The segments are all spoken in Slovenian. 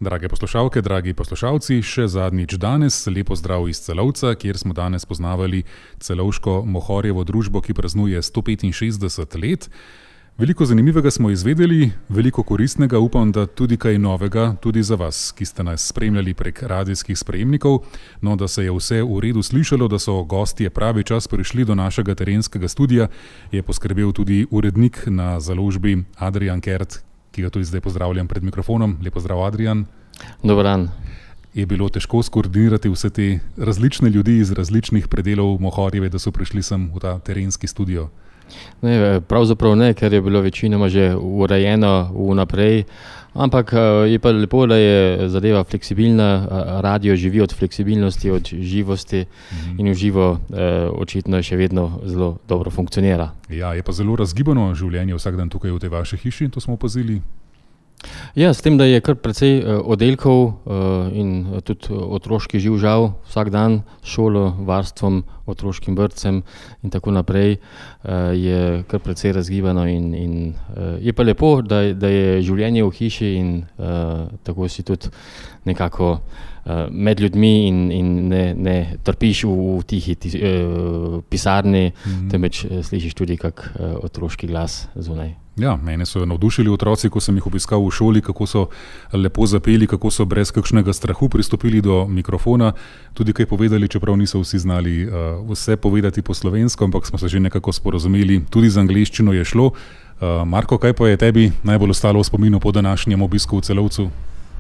Drage poslušalke, dragi poslušalci, še zadnjič danes, lepo zdrav iz Celovca, kjer smo danes poznavali celovško Mohorjevo družbo, ki praznuje 165 let. Veliko zanimivega smo izvedeli, veliko koristnega, upam, da tudi kaj novega, tudi za vas, ki ste nas spremljali prek radijskih sprejemnikov. No, da se je vse v redu slišalo, da so gostje pravi čas prišli do našega terenskega studia, je poskrbel tudi urednik na založbi Adrian Kert, ki ga tudi zdaj pozdravljam pred mikrofonom. Lepo zdrav, Adrian. Dober dan. Je bilo težko skoordinirati vse te različne ljudi iz različnih predelov Mohorjeve, da so prišli sem v ta terenski studio? Ne, pravzaprav ne, ker je bilo večinoma že urejeno vnaprej, ampak je pa lepo, da je zadeva fleksibilna, radio živi od fleksibilnosti, od živosti in v živo očitno še vedno zelo dobro funkcionira. Ja, je pa zelo razgibano življenje vsak dan tukaj v tej vaši hiši, to smo opazili. Ja, s tem, da je kar precej oddelkov in tudi otroški živžav vsak dan s šolo, varstvom, otroškim vrtcem in tako naprej, je kar precej razgibano in je pa lepo, da je življenje v hiši in tako si tudi nekako med ljudmi in ne trpiš v tihi pisarni, temveč slišiš tudi kak otroški glas zunaj. Ja, mene so navdušili otroci, ko sem jih obiskal v šoli, kako so lepo zapeli, kako so brez kakšnega strahu pristopili do mikrofona, tudi kaj povedali, čeprav niso vsi znali vse povedati po slovensko, ampak smo se že nekako sporazumeli, tudi z angleščino je šlo. Marko, kaj pa je tebi najbolj ostalo v spominu po današnjem obisku v Celovcu?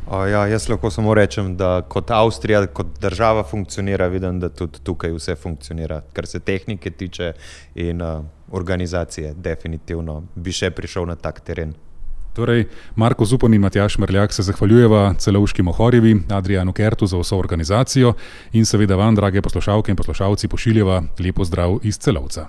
Ja, jaz lahko samo rečem, da kot Avstrija, kot država funkcionira, vidim, da tudi tukaj vse funkcionira, kar se tehnike tiče in organizacije, definitivno bi še prišel na tak teren. Torej, Marko Zupan in Matjaž Mrljak se zahvaljujeva celovški Mohorjevi, Adrianu Kertu za vso organizacijo in seveda vam, drage poslušalke in poslušalci, pošiljeva lepo zdrav iz Celovca.